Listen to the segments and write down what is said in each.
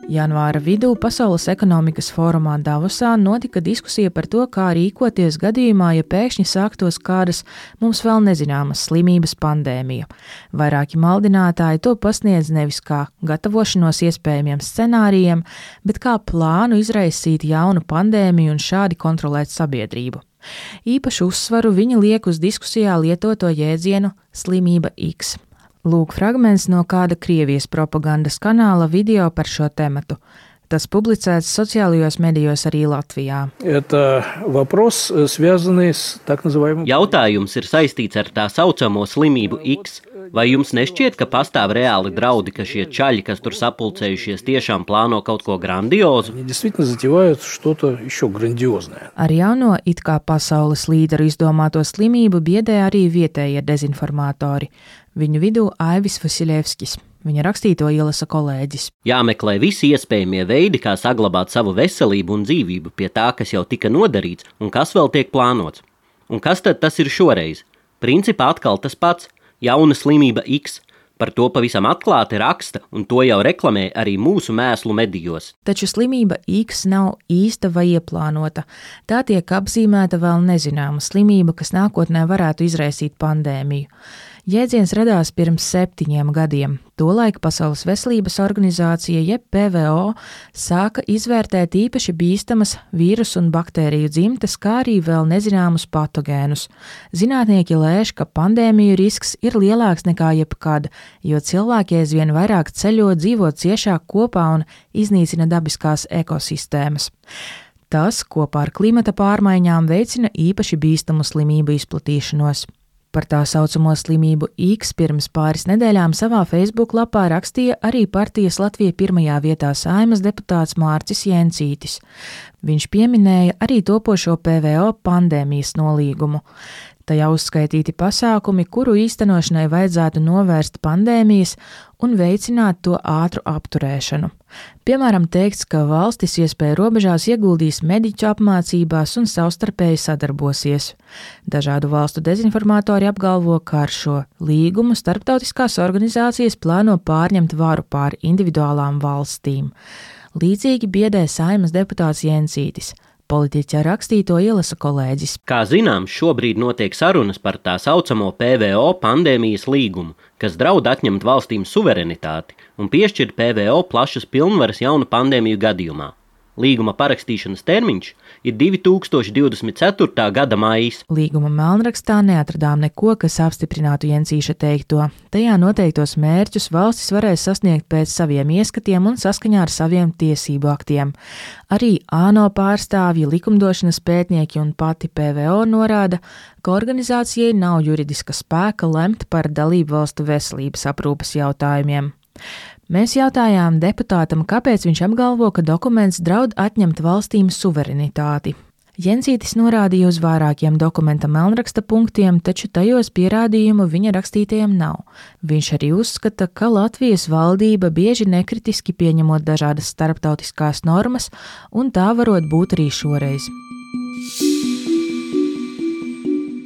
Janvāra vidū Pasaules ekonomikas fórumā Davosā notika diskusija par to, kā rīkoties gadījumā, ja pēkšņi sāktos kādas mums vēl nezināmas slimības pandēmija. Vairāki maldinātāji to pasniedz nevis kā gatavošanos iespējamiem scenārijiem, bet kā plānu izraisīt jaunu pandēmiju un šādi kontrolēt sabiedrību. Īpašu uzsvaru viņi liek uz diskusijā lietoto jēdzienu slimība X. Lūk fragments no kāda Krievijas propagandas kanāla video par šo tematu. Tas publicēts sociālajos medijos arī Latvijā. Jautājums ir saistīts ar tā saucamo slimību X. Vai jums nešķiet, ka pastāv reāli draudi, ka šie čaļi, kas tur sapulcējušies, tiešām plāno kaut ko grandiozu? Ar jauno it kā pasaules līderu izdomāto slimību biedē arī vietējie dezinformatori. Viņu vidū Aivis Vasiljevskis. Viņa rakstīto ielasa kolēģis. Jāmeklē visi iespējamie veidi, kā saglabāt savu veselību un dzīvību pie tā, kas jau tika nodarīts un kas vēl tiek plānots. Un kas tad tas ir šoreiz? Principā atkal tas pats. Jauna slimība X. Par to pavisam atklāti raksta, un to jau reklamē arī mūsu mēslu medijos. Taču slimība X nav īsta vai ieplānota. Tā tiek apzīmēta vēl nezināma slimība, kas nākotnē varētu izraisīt pandēmiju. Jēdziens radās pirms 7 gadiem. Tolaik Pasaules veselības organizācija, jeb PVO, sāka izvērtēt īpaši bīstamas vīrusu un baktēriju dzimtes, kā arī vēl nezināmus patogēnus. Zinātnieki lēš, ka pandēmiju risks ir lielāks nekā jebkad, jo cilvēki aizvien vairāk ceļo, dzīvo ciešāk kopā un iznīcina dabiskās ekosistēmas. Tas, kopā ar klimata pārmaiņām, veicina īpaši bīstamu slimību izplatīšanos. Par tā saucamo slimību X pirms pāris nedēļām savā Facebook lapā rakstīja arī partijas Latvija pirmajā vietā Saeimas deputāts Mārcis Jencītis. Viņš pieminēja arī topošo PVO pandēmijas nolīgumu. Tajā uzskaitīti pasākumi, kuru īstenošanai vajadzētu novērst pandēmijas un veicināt to ātru apturēšanu. Piemēram, teikts, ka valstis iespēju robežās ieguldīs mediķu apmācībās un savstarpēji sadarbosies. Dažādu valstu dezinformatori apgalvo, ka ar šo līgumu starptautiskās organizācijas plāno pārņemt varu pār individuālām valstīm. Līdzīgi biedē Saeimas deputāts Jencītis. Politiķa rakstīto ielasa kolēģis. Kā zināms, šobrīd notiek sarunas par tā saucamo PVO pandēmijas līgumu, kas draud atņemt valstīm suverenitāti un piešķirt PVO plašas pilnvaras jaunu pandēmiju gadījumā. Līguma parakstīšanas termiņš ir 2024. gada maijs. Līguma melnrakstā neatradām neko, kas apstiprinātu Jencīša teikto. Tajā noteiktos mērķus valstis varēs sasniegt pēc saviem ieskatiem un saskaņā ar saviem tiesību aktiem. Arī ANO pārstāvji, likumdošanas pētnieki un pati PVO norāda, ka organizācijai nav juridiska spēka lemt par dalību valstu veselības aprūpes jautājumiem. Mēs jautājām deputātam, kāpēc viņš apgalvo, ka dokuments draud atņemt valstīm suverenitāti. Jencītis norādīja uz vairākiem dokumenta melnraksta punktiem, taču tajos pierādījumu viņa rakstītajiem nav. Viņš arī uzskata, ka Latvijas valdība bieži nekritiski pieņemot dažādas starptautiskās normas, un tā varot būt arī šoreiz.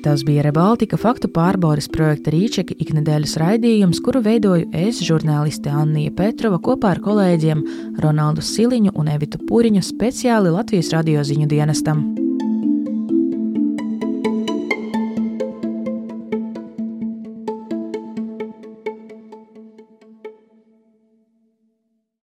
Tas bija Rebaltika faktu pārbaudes projekta Rīčeka iknedēļas raidījums, kuru veidoju es, žurnāliste Annija Petrova, kopā ar kolēģiem Ronaldu Siliņu un Evitu Puriņu speciāli Latvijas radio ziņu dienestam.